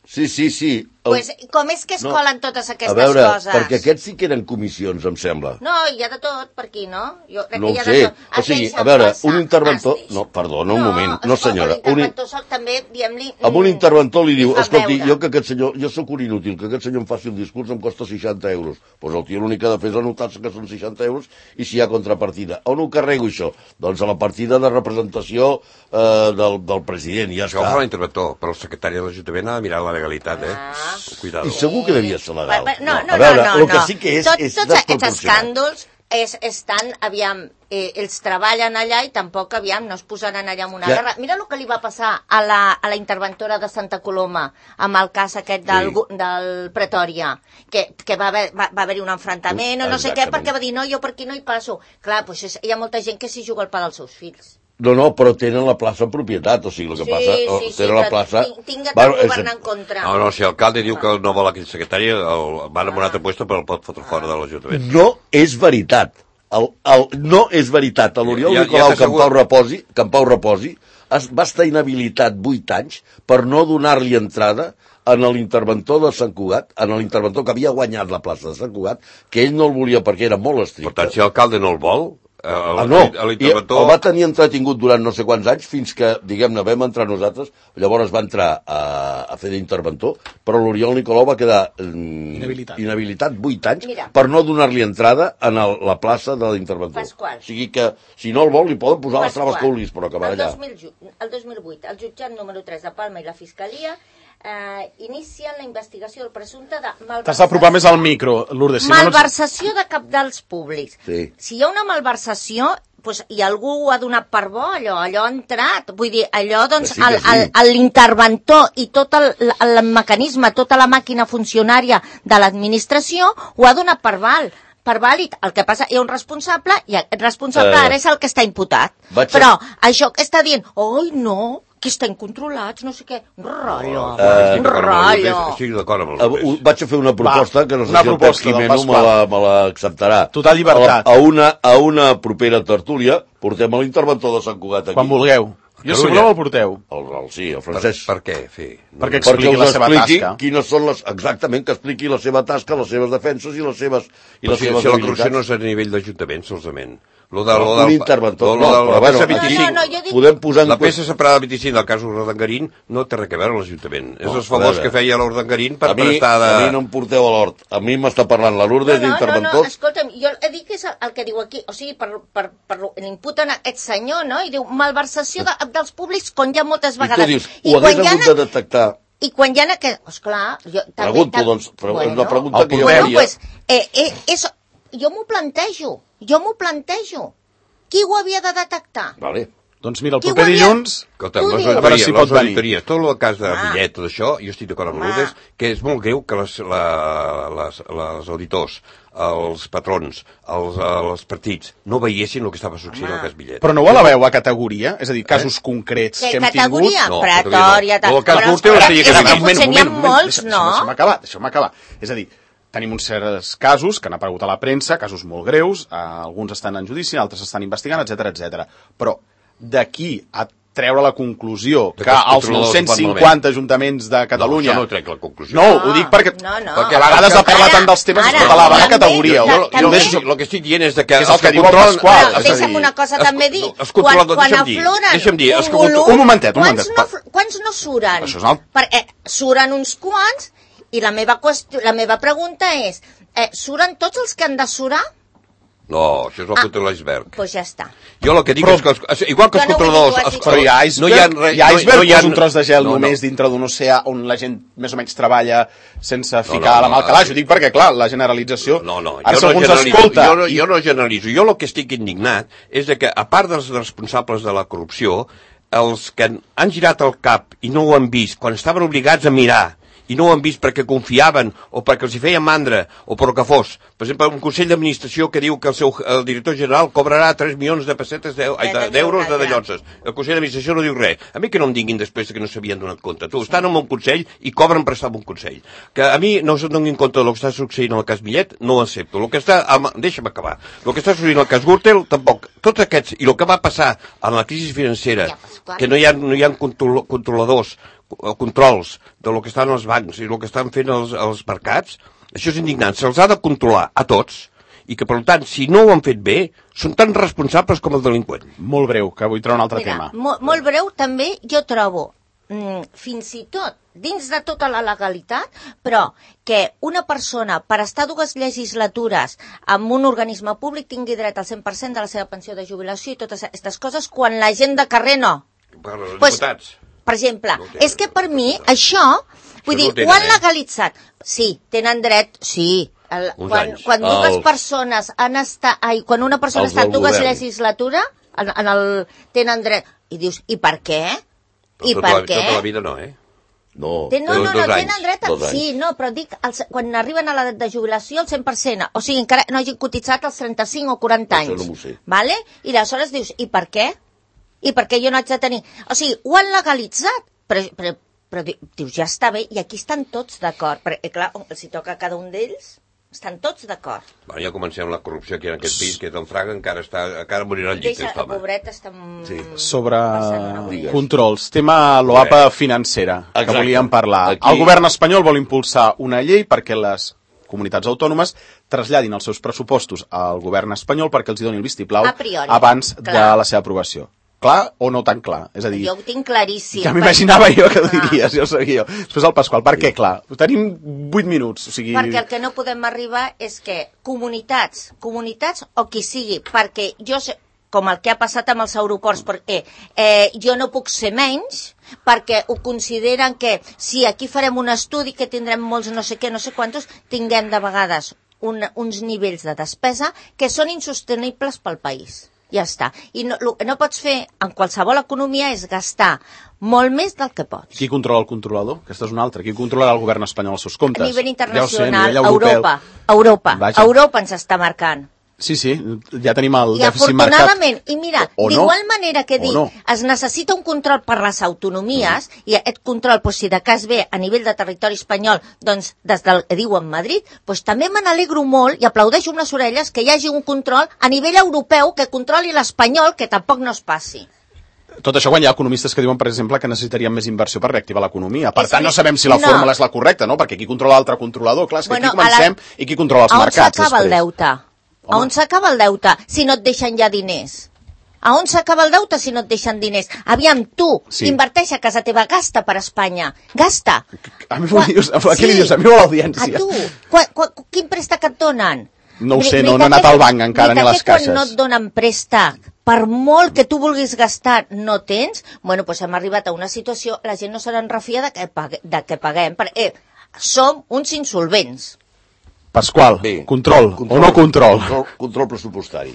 Sí, sí, sí. El... Pues, com és que es no. colen totes aquestes coses? A veure, coses? perquè aquests sí que eren comissions, em sembla. No, hi ha de tot per aquí, no? Jo crec no que hi ha sé. de tot. O sigui, a veure, un interventor... No, perdona, un no, moment. No, senyora. Un interventor un... també, diguem-li... Amb un interventor li diu, escolti, jo que aquest senyor, jo sóc un inútil, que aquest senyor em faci el discurs em costa seixanta euros. Doncs pues el tio l'únic que ha de fer és anotar-se que són seixanta euros i si hi ha contrapartida. On ho carrego, això? Doncs a la partida de representació eh, del, del president, ja això està. Això fa l'interventor, però el secretari de l'Ajuntament ha de mirar la legalitat, eh? Ah. Cuidado. I segur que devia ser legal. No, no, no, a veure, no, no, el que sí que és, Tot, és tots aquests escàndols és, estan, aviam, eh, ells treballen allà i tampoc, aviam, no es posaran allà en una Ja. guerra. Mira el que li va passar a la, a la interventora de Santa Coloma amb el cas aquest del, Sí. del Pretòria, que, que va haver, va, va haver-hi un enfrontament o no sé què, Exactament. perquè va dir, no, jo per aquí no hi passo. Clar, doncs és, hi ha molta gent que s'hi juga el pa dels seus fills. No, no, però tenen la plaça en propietat, o sigui, el que Sí, passa... sí, sí, tenen la però plaça... ting- tinga Bueno, el és- govern en contra. No, no, si l'alcalde diu que no vol aquell secretari, el van en un altre puesto, però el pot fotre fora de l'Ajuntament. No és veritat. El, el, no és veritat. L'Oriol Ja- ja Nicolau t'asseguro- Campau Reposi, Campau Reposi es, va estar inhabilitat vuit anys per no donar-li entrada en l'interventor de Sant Cugat, en l'interventor que havia guanyat la plaça de Sant Cugat, que ell no el volia perquè era molt estricte. Per tant, si l'alcalde no el vol, eh, Ah, no, i l'interventor... el va tenir entretingut durant no sé quants anys fins que, diguem-ne, vam entrar nosaltres, llavors va entrar a, a fer d'interventor, però l'Oriol Nicolau va quedar mm, Inhabilitat. inhabilitat vuit anys Mira. per no donar-li entrada en el, la plaça de l'interventor. Pasqual. O sigui que, si no el vol, li poden posar les traves Pasqual. que vulguis, però acabarà el allà. dos mil, ju- el dos mil vuit, el jutjat número tres de Palma i la Fiscalia eh, inicien la investigació del presumpte de malversació. T'has d'apropar més al micro, Lourdes. Si no, no... Malversació de cabdals públics. Sí. Si hi ha una malversació, pues, i algú ho ha donat per bo, allò, allò ha entrat. Vull dir, allò, doncs, Que sí, que el- sí. el- el- l'interventor i tot el, el mecanisme, tota la màquina funcionària de l'administració ho ha donat per val. Per vàlid. El que passa, hi ha un responsable i el responsable Eh, ara és el que està imputat. vaig a- Però això que està dient, oi, no, que estan controlats, no sé què, un rotllo, Eh, un rotllo. Estic d'acord amb el Eh, Lourdes. Vaig a fer una proposta Va, que no sé una si el Pep proposta del Jimeno me Pasqual. la- me l'acceptarà. Total llibertat. A, la- a, una, a una propera tertúlia portem a l'interventor de Sant Cugat aquí. Quan vulgueu. Jo, si Catalunya. voleu, el porteu. El, el, sí, el Per, francès. per què? Sí. Perquè Perquè expliqui la us seva expliqui tasca. quines són les... Exactament, que expliqui la seva tasca, les seves defenses i les seves, i Però les si, seves si la corrupció habilitats. no és a nivell d'Ajuntament, solament. Lo de, No, lo un del, interventor. lo, lo No, del, però bueno, la aquí peça vint-i-cinc, No, no, jo dic- podem posar en la qüestió- peça separada del vint-i-cinc del cas Urdangarín no té res a veure amb l'Ajuntament. És No, els a favors veure. que feia l'Urdangarín per a mi, prestar de... a mi no em porteu a l'hort. A mi m'està parlant la Lourdes No, no, no, no, d'interventors. escolta'm, jo he dit que és el, el que diu aquí, o sigui, per, per, per, l'imputen a aquest senyor, no? I diu, malversació de, dels públics, quan hi ha moltes I tu vegades. dius, I ho quan hagués hi ha hagut de detectar. I quan hi ha aquest... Esclar, jo també... Pregunto, tam- doncs, però és una pregunta el que jo porteu. Bueno, faria. pues, eh, eh, és, jo m'ho plantejo, jo m'ho plantejo. Qui ho havia de detectar? Vale. Doncs mira, el Qui ho proper havia- dilluns... Escolta, Tu les dius. A veure auditories, si les pot venir. auditories, tot el cas de Ah. Millet, tot això, jo estic d'acord amb Ah. Lourdes, que és molt greu que les, la, les, les auditors, els patrons, els, els partits, no veiessin el que estava succeint al cas Millet. Però no ho eleveu a categoria? És a dir, casos concrets Que que hem categoria? tingut... No, Pretòria... categoria no. El cas però- Gürtel però tenia que és venir. que potser n'hi ha molts, deixa- no? Deixa'm acabar, deixa'm acabar. És a dir, tenim uns certs casos que han aparegut a la premsa, casos molt greus, eh, alguns estan en judici, altres estan investigant, etc etc. Però d'aquí a treure la conclusió De que que els els controladors nou-cents van cinquanta ajuntaments de Catalunya... No, això no trec la conclusió. No, No, ho dic perquè, no, no. perquè a vegades ha parlat Ara, tant dels temes ara, que la va a també, categoria. ta- Jo, Jo, jo jo deixo, el que estic dient és de que... Que és el els que diu el controlen- Pasqual. Però és a deixa'm dir, una cosa els- també dir. els controladors, quan, quan deixa'm dir, afloren deixa'm dir, els un que- volum, un momentet, un quants momentet. No, fl- quants no suren? Això és el- Perquè suren uns quants i la meva, qüestió, la meva pregunta és, eh, suren tots els que han de surar? No, això és la Ah. punta de l'iceberg. Doncs pues ja està. Jo el que dic Però- és que, els, igual que els Jo no vull dir controladors... que ho els- hagi- Però hi ha iceberg, no hi ha, re- hi ha iceberg no hi ha- és un tros de gel no, no. només dintre d'un oceà on la gent més o menys treballa sense no, ficar la mà al no, calaix. Ho dic perquè, clar, la generalització... No, no, Ara, jo si no algú ens generalitzo. escolta... Jo no, i- jo no generalitzo. Jo el que estic indignat és de que, a part dels responsables de la corrupció, els que han girat el cap i no ho han vist, quan estaven obligats a mirar, i no ho han vist perquè confiaven o perquè els hi feien mandra o per el que fos. Per exemple, un consell d'administració que diu que el seu el director general cobrarà tres milions de pessetes d'eu- ai, de- d'euros de dallonses. El consell d'administració no diu res. A mi que no em diguin després que no s'havien donat compte. Tu, estan en un consell i cobren per estar en un consell. Que a mi no se'n donin compte del que està succeint en el cas Millet, no ho accepto. El que està... Amb, deixa'm acabar. El que està succeint en el cas Gürtel, tampoc. Tots aquests, i el que va passar en la crisi financera, Ja, Pasqual. que no hi ha, no hi ha control, controladors, o controls de lo que estan els bancs i el que estan fent els, els mercats, això és indignant. Se'ls ha de controlar a tots i que, per tant, si no ho han fet bé, són tan responsables com el delinqüent. Molt breu, que vull treure un altre Mira, tema. mo molt breu també jo trobo, mm, fins i tot, dins de tota la legalitat, però que una persona, per estar dues legislatures amb un organisme públic, tingui dret al cent per cent de la seva pensió de jubilació i totes aquestes coses, quan la gent de carrer no. Per als Pues, diputats. Per exemple, No ho tenen, és que per mi això, vull no dir, ho tenen, ho han eh? legalitzat. Sí, tenen dret, sí, El, Uns quan, anys. quan dues Els- persones han estat... Ai, quan una persona Els ha estat del dues govern. legislatura, en, en el, tenen dret... I dius, i per què? I Tota per la- què? Tota la vida no, eh? No, Ten, no, dos- no, dos no, anys, tenen dret a... dos anys. Sí, no, però dic, els, quan arriben a l'edat de jubilació, el cent per cent, o sigui, encara no hagin cotitzat els trenta-cinc o quaranta Això anys. no m'ho sé. Vale? I aleshores dius, i per què? I per què jo no haig de tenir... O sigui, ho han legalitzat, però, però, però di- dius, ja està bé, i aquí estan tots d'acord. Perquè, clar, els hi toca a cada un d'ells, estan tots d'acord. Bueno, ja comencem la corrupció aquí en aquest país, que és en Fraga, encara, està, encara morirà al llit, Deixa, aquest home. pobret, està... Sí. Sobre passant una boira. controls, tema l'OAPA financera, que Exacte. volíem parlar. Aquí- El govern espanyol vol impulsar una llei perquè les comunitats autònomes traslladin els seus pressupostos al govern espanyol perquè els hi doni el vistiplau A priori, abans clar. de la seva aprovació. Clar o no tan clar? És a dir, Jo ho tinc claríssim. ja m'imaginava jo que ho Ah. diries, ja ho sabia jo. Després el Pasqual, per què? Clar, tenim vuit minuts, o sigui... Perquè el que no podem arribar és que comunitats, comunitats o qui sigui, perquè jo sé, com el que ha passat amb els aeroports, perquè eh, jo no puc ser menys, perquè ho consideren que si aquí farem un estudi que tindrem molts no sé què, no sé quantos, tinguem de vegades un, uns nivells de despesa que són insostenibles pel país. Ja està. I no, el que no pots fer en qualsevol economia és gastar molt més del que pots. Qui controla el controlador? Aquesta és una altra. Qui controlarà el govern espanyol els seus comptes? A nivell internacional, ja ho sé, a nivell europeu. Europa, Europa, Vaja. Europa ens està marcant. Sí, sí, ja tenim el I dèficit marcat. afortunadament, i mira, O- o no. d'igual manera que O dic, no. es necessita un control per les autonomies, mm. i aquest control, pues, si de cas ve a nivell de territori espanyol, doncs des del que diuen Madrid, pues, també me n'alegro molt i aplaudeixo unes orelles que hi hagi un control a nivell europeu que controli l'espanyol, que tampoc no es passi. Tot això quan hi ha economistes que diuen, per exemple, que necessitaríem més inversió per reactivar l'economia. Per És tant, a dir, no sabem si la no. fórmula és la correcta, no? Perquè qui controla l'altre controlador? Clar, és que Bueno, aquí comencem a la- i qui controla els a on mercats s'acaba el després? deute? A Home. on s'acaba el deute si no et deixen ja diners? A on s'acaba el deute si no et deixen diners? Aviam, tu, Sí. sí. inverteix a casa teva, gasta per Espanya, gasta. A mi m'ho dius, a què li dius? A mi o a l'audiència? A tu, qua, qua, quin préstec et donen? No ho sé, Ni- no- ni no he que anat què- al banc encara, ni a les que quan caixes. no et donen préstec, per molt que tu vulguis gastar, no tens, bueno, doncs hem arribat a una situació, la gent no se'n refia de que, pague, de que paguem, perquè eh, som uns insolvents. Pasqual, Bé, control, o no control? Control, control pressupostari.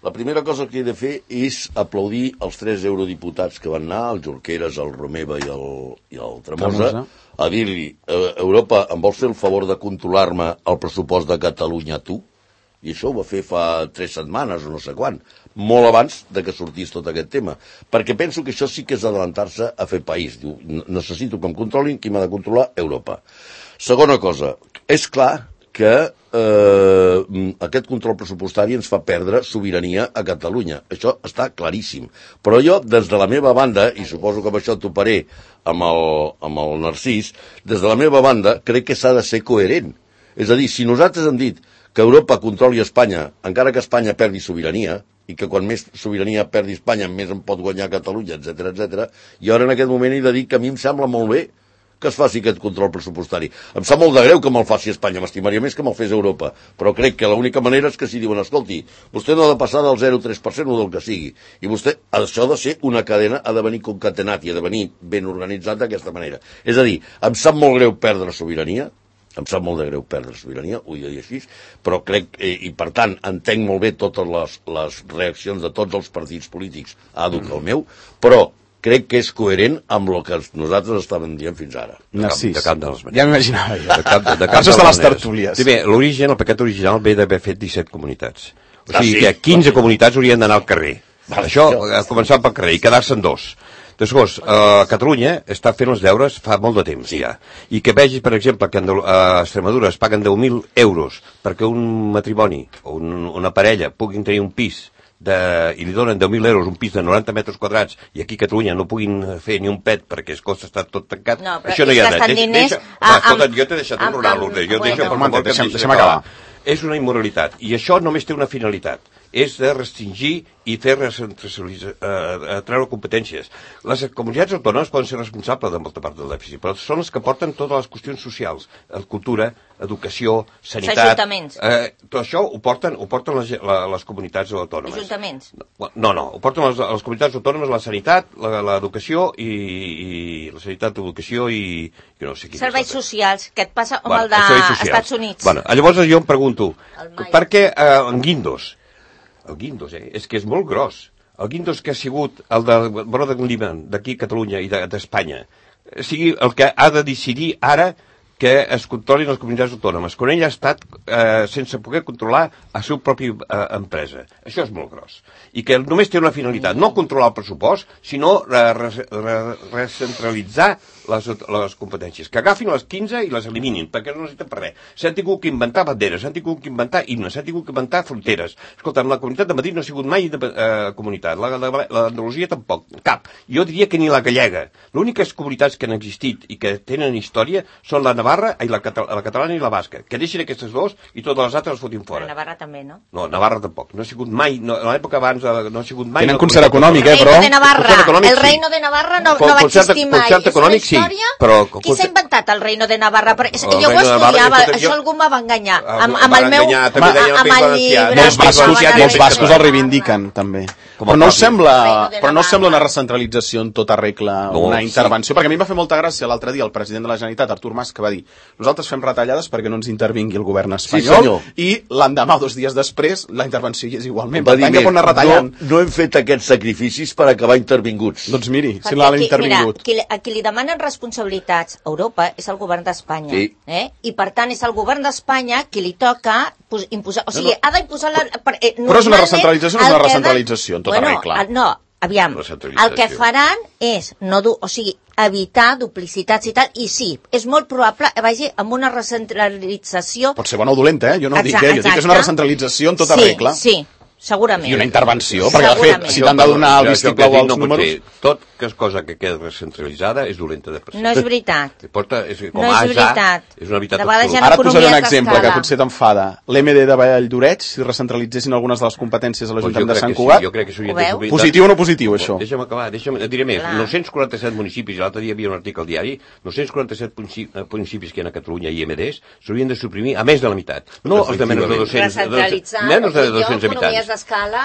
La primera cosa que he de fer és aplaudir els tres eurodiputats que van anar, el Junqueras, el Romeva i el, i el Tremosa, Tremosa. a dir-li, eh, Europa, em vols fer el favor de controlar-me el pressupost de Catalunya tu? I això ho va fer fa tres setmanes o no sé quan, molt abans de que sortís tot aquest tema. Perquè penso que això sí que és adelantar-se a fer país. Diu, necessito que em controlin, qui m'ha de controlar? Europa. Segona cosa, és clar que eh, aquest control pressupostari ens fa perdre sobirania a Catalunya. Això està claríssim. Però jo, des de la meva banda, i suposo que amb això toparé amb el, amb el Narcís, des de la meva banda crec que s'ha de ser coherent. És a dir, si nosaltres hem dit que Europa controli Espanya, encara que Espanya perdi sobirania, i que quan més sobirania perdi Espanya, més en pot guanyar Catalunya, etcètera, etcètera, i ara en aquest moment he de dir que a mi em sembla molt bé que es faci aquest control pressupostari. Em sap molt de greu que me'l faci Espanya, m'estimaria més que me'l fes Europa, però crec que l'única manera és que si diuen, escolti, vostè no ha de passar del zero coma tres per cent o del que sigui, i vostè, això ha de ser una cadena, ha de venir concatenat i ha de venir ben organitzat d'aquesta manera. És a dir, em sap molt greu perdre sobirania, em sap molt de greu perdre sobirania, ho he de dir així, però crec, eh, i per tant entenc molt bé totes les, les reaccions de tots els partits polítics, àdhuc el meu, però crec que és coherent amb el que nosaltres estàvem dient fins ara. Narcís, de cap de les maneres. ja m'imaginava jo. De cap, de, de cap Això és de les maneres. tertúlies. Sí, bé, l'origen, el pecat original ve d'haver fet disset comunitats. O Ah, sigui sí? que quinze comunitats haurien d'anar al carrer. Vale, Això, jo- eh, començant pel carrer i quedar-se en dos. Després, eh, Catalunya està fent els deures fa molt de temps ja. I que vegis, per exemple, que a Extremadura es paguen deu mil euros perquè un matrimoni o un, una parella puguin tenir un pis de, i li donen deu mil euros un pis de noranta metres quadrats i aquí a Catalunya no puguin fer ni un pet perquè es costa estar tot tancat. No, però això no hi ha és gastant dret. diners Deixa, a- va, amb- escolta, jo t'he deixat amb- un rural, amb- Lourdes. Jo et bueno. deixo per Home, favor que em deixa'm- deixis deixa'm acabar. És una immoralitat. I això només té una finalitat, és de restringir i fer recentralitzar, eh, treure competències. Les comunitats autònomes poden ser responsables de molta part del dèficit, però són les que porten totes les qüestions socials, cultura, educació, sanitat... Ajuntaments. Eh, tot això ho porten, ho porten les, les comunitats autònomes. Ajuntaments. No, no, ho porten les, les comunitats autònomes, la sanitat, l'educació i, i la sanitat, l'educació i... no sé quin serveis socials, que et passa com bueno, el dels Estats Units. Bueno, llavors jo em pregunto, per què eh, en Guindos, el Guindos, eh, és que és molt gros, el Guindos que ha sigut el de Brother Lehman, d'aquí a Catalunya i d'Espanya, de, sigui el que ha de decidir ara que es controlin les comunitats autònomes, quan ell ha estat eh, sense poder controlar la seva pròpia eh, empresa. Això és molt gros. I que només té una finalitat, no controlar el pressupost, sinó recentralitzar les, les competències. Que agafin les quinze i les eliminin, perquè no necessiten per res. S'han tingut que inventar banderes, s'han tingut que inventar himnes, s'han tingut que inventar fronteres. Escolta, la comunitat de Madrid no ha sigut mai de, eh, comunitat, l'Andalusia tampoc, cap. Jo diria que ni la gallega. Les úniques comunitats que han existit i que tenen història són la Navarra, i la, Catal la catalana i la basca. Que deixin aquestes dos i totes les altres les fotin fora. La Navarra també, no? No, Navarra tampoc. No ha sigut mai, no, a l'època abans no ha sigut mai... Tenen concert econòmic, eh, però... El reino de Navarra, econòmic, el reino de Navarra no, no va existir mai. Concert econòmic, sí, però... Qui s'ha inventat el reino de Navarra? Perquè jo ho estudiava, Navarra, això algú m'ha va enganyar. Amb, amb el meu... Amb el llibre... Molts bascos, molts bascos el reivindiquen, també. Però no us sembla, però no us sembla una recentralització en tota regla, no, una intervenció? Sí. Perquè a mi em va fer molta gràcia l'altre dia el president de la Generalitat, Artur Mas, que va dir nosaltres fem retallades perquè no ens intervingui el govern espanyol, sí, i l'endemà, dos dies després, la intervenció hi és igualment. Va dir més, no, no hem fet aquests sacrificis per acabar intervinguts. Doncs miri, si l'han intervingut. Mira, qui, a qui li demanen responsabilitats a Europa és el govern d'Espanya. Sí. Eh? I per tant és el govern d'Espanya qui li toca imposar... O sigui, no, no. ha d'imposar... La, per, eh, però és una recentralització, no és una recentralització, en tota bueno, regla. El, no, aviam, el que faran és no du, o sigui, evitar duplicitats i tal, i sí, és molt probable que vagi amb una recentralització... Pot ser bona o dolenta, eh? Jo no ho dic, eh? Jo dic que és una recentralització en tota sí, regla. Sí, segurament. I una intervenció, perquè de fet, si t'han de donar el vistiplau als números... Tot que és cosa que queda recentralitzada és dolenta de per si. No és veritat. Porta, és, com no és veritat. És una veritat absoluta. Ara et posaré un exemple que potser t'enfada. L'M D de Valldoreix, si recentralitzessin algunes de les competències a l'Ajuntament de Sant Cugat... Sí, jo crec que s'haurien de publicar... Positiu o no positiu, això? Deixa'm acabar, deixa'm, et diré més. Clar. nou-cents quaranta-set municipis, i l'altre dia hi havia un article al diari, nou-cents quaranta-set municipis que hi ha a Catalunya i M Ds s'haurien de suprimir a més de la meitat. No els de menys de dos-cents, menys de dos-cents habitants.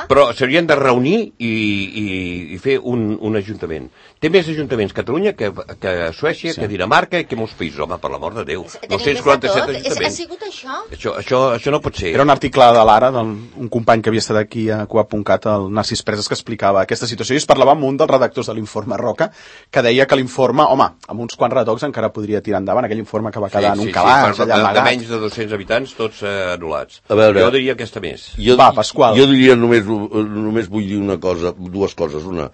Però s'haurien de reunir i, i, i fer un, un ajuntament. Té més ajuntaments Catalunya que, que Suècia, sí. que Dinamarca i que molts països, home, per l'amor de Déu. nou-cents quaranta-set ajuntaments. Ha sigut això? Això, això? Això no pot ser. Era un article de l'Ara, d'un company que havia estat aquí a Cugat punt cat, el Narcís Preses, que explicava aquesta situació, i es parlava amb un dels redactors de l'informe Roca, que deia que l'informe, home, amb uns quants retocs encara podria tirar endavant, aquell informe que va quedar sí, en un sí, calaix, sí, allà amagat. De menys de dos-cents habitants, tots eh, anul·lats. A veure, jo diria aquesta més. Jo, va, Pasqual. Jo diria només, només vull dir una cosa, dues coses. Una,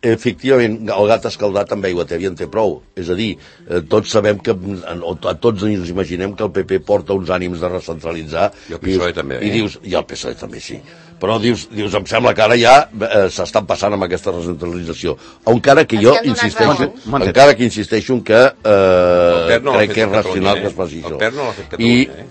efectivament, el gat escaldat amb aigua tèbia en té prou. És a dir, eh, tots sabem que, o a tots ens imaginem que el P P porta uns ànims de recentralitzar. I el P S O E dius, també. I dius, i el P S O E també, sí. Però dius, dius em sembla que ara ja eh, s'estan passant amb aquesta recentralització. Encara que jo insisteixo, encara que insisteixo en que eh, no crec que és racional eh? que es faci això. El P E R no l'ha fet Catalunya, eh?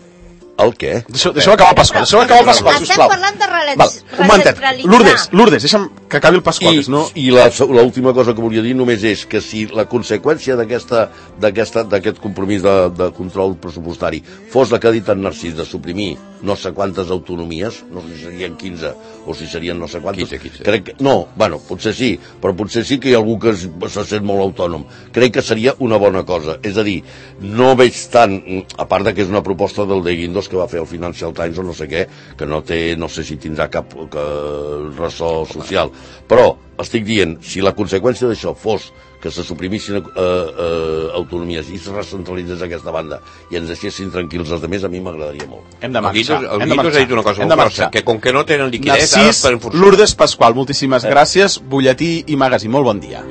El què? Deixa'm deixa acabar el Pasqual, deixa'm acabar el Pasqual, sisplau. Estem parlant de recentralitzar. Un momentet, Lourdes, Lourdes, deixa'm que acabi el Pasqual. I, no... i l'última cosa que volia dir només és que si la conseqüència d'aquest compromís de, de control pressupostari fos la que ha dit en Narcís, de suprimir no sé quantes autonomies, no sé si serien quinze o si serien no sé quantes... quinze, quinze. Crec que, no, bueno, potser sí, però potser sí que hi ha algú que se sent molt autònom. Crec que seria una bona cosa. És a dir, no veig tant, a part de que és una proposta del de Guindos que va fer el Financial Times o no sé què, que no té, no sé si tindrà cap que, ressò social, però estic dient, si la conseqüència d'això fos que se suprimissin eh, eh, autonomies i se recentralitzés aquesta banda i ens deixessin tranquils els altres, a mi m'agradaria molt. Hem de marxar. El Guindos ha dit una cosa molt força, que com que no tenen liquiditat... Narcís, Lourdes, Pasqual, moltíssimes gràcies. Butlletí i magazín, molt bon dia.